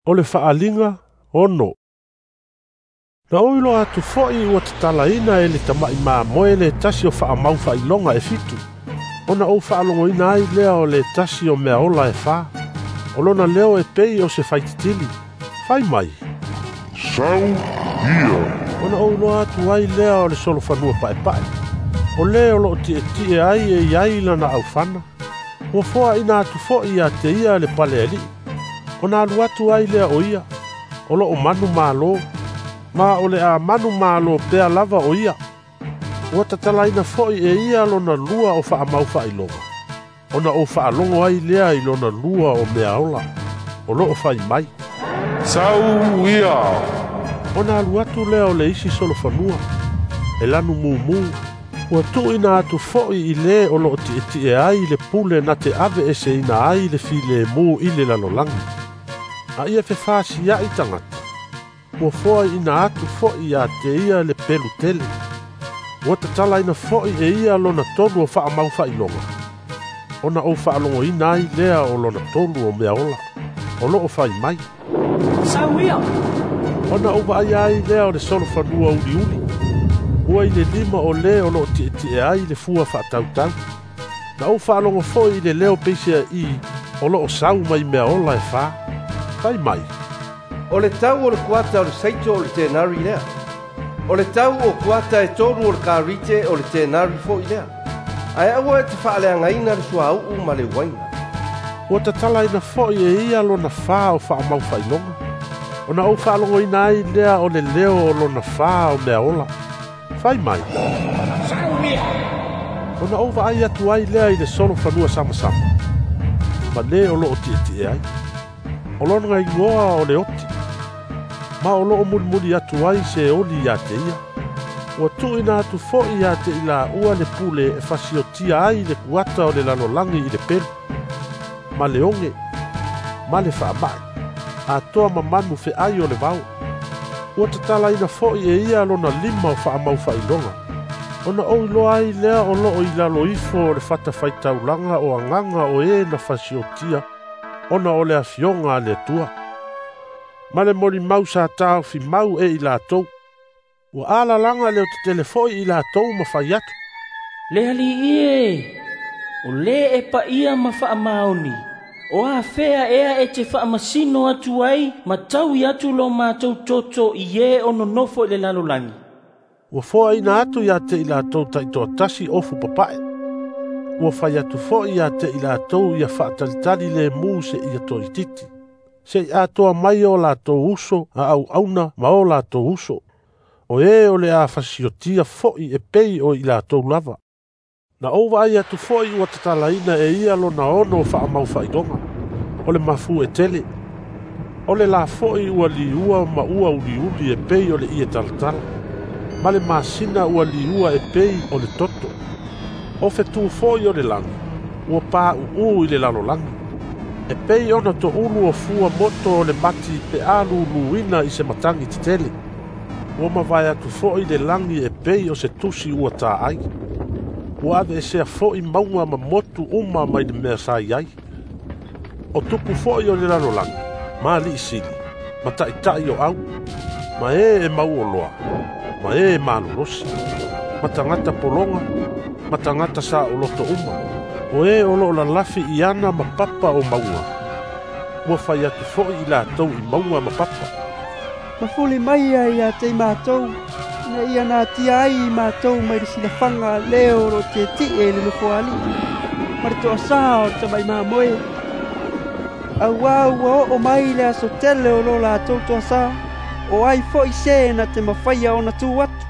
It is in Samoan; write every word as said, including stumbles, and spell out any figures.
O le faaaliga ono. Na ou iloa atu foi ua tatalaina e le tama'i mamoe le tasi o faamau faailoga e fitu, ona ou faalogoina ai lea o le tasi o mea ola e fa. O lona leo e pei o se faititili, fai mai, "Sau ia." Ona ou iloa atu ai lea o le solofanua paepae. O le o loo tietie ai e iai lana aufana. Ua foaina atu foi ia te ia le pale alii. Ona alu atu ai lea o ia, o loo manu malo, ma o le a manu malo pea lava o ia. Ua tatalaina foi e ia lona lua o faamau faailoga, ona ou faalogo ai lea i lona lua o mea ola, o loo fai mai, "Sau ia." Ona alu atu lea o le isi solofanua, e lanu mumu, ua tuuina atu foi i le o loo tietie ai le pule na te ave eseina ai le filemu i le lalolagi. A ia fefasia'i tagata, ua foaiina atu foi ia te ia le pelu tele. Ua tatalaina foi e ia lona tolu o faamau faailoga, ona ou faalogoina ai lea o lona tolu o mea ola, o loo fai mai, "Sau ia." Ona ou vaaia ai lea o le solofanua uliuli, ua i le lima o le o loo tietie ai le fua faatautau. Na ou faalogo foi i le leo peisea'i o loo sau mai mea ola e fa, fai mai, "O le tau o le kuata o le saito o le tenari lea. O le tau o kuata e tolu o le karite o le tenari foi lea. Ae aua e te faaleagaina le suauu ma le uaina." Ua tatalaina foi e ia lona fa o faamau faailoga, ona ou faalogoina ai lea o le leo o lona fa o mea ola, fai mai, "Sau ia." Ona ou vaai atu ai lea i le solofanua samasama, ma le o loo tietie ai. O lona igoa o le oti, ma o loo mulimuli atu ai se oli ia te ia. Ua tuuina atu foi ia te i laua le pule e fasiotia ai le kuata o le lalolagi i le pelu, ma le oge, ma le faama'i, atoa ma manu feai o le vao. Ua tatalaina foi e ia lona lima o faamau faailoga, ona ou iloa ai lea o loo i lalo ifo o le fatafaitaulaga o agaga o e na fasiotia, ona o le afioga a le Atua. Ma le molimau sa taofi mau e i latou. Ua alalaga le otetele foi i latou ma fai atu, "Le alii e, o le e paia ma faamaoni, o afea ea e te faamasino atu ai ma taui atu lo matou toto i e o nonofo i le lalolagi." Ua foaina atu ia te i latou taitoatasi ofu papae. Ua fai atu foi ia te i latou ia faatalitali le mu se ia toititi, se i atoa mai o latou uso a auauna ma o latou uso. O e o le a fasiotia foi e pei o i latou lava. Na ou vaai atu foi ua tatalaina e ia lona ono o faamau faailoga, o le mafu e tele. O le la foi ua liua ma ua uliuli e pei o le ie talatala, ma le masina ua liua e pei o le toto. O fetu foi o le lagi, ua pāuū i le lalolagi. E pei ona toulu o fua moto o le mati pe a luluina i se matagi tetele. Ua mavae atu foi le lagi e pei o se tusi ua taai. Ua aveesea foi mauga ma motu uma mai le mea sa i ai. O tupu foi o le lalolagi, ma alii sili, ma taʻitaʻi o au, ma e e mauoloa, ma e malolosi, ma tagata pologa, ma tagata saoloto uma, o e o loo lalafi i ana ma papa o mauga. Ua fai atu foi i latou i mauga ma papa, "Mafuli mai ia ia te i matou, ina ia natia ai i matou mai le silafaga le o loo tietie i le nofoalii, ma le toasā o le tama'i mamoe. Auā ua oo mai le aso tele o lo latou toasā, o ai foi se na te mafaia ona tu atu."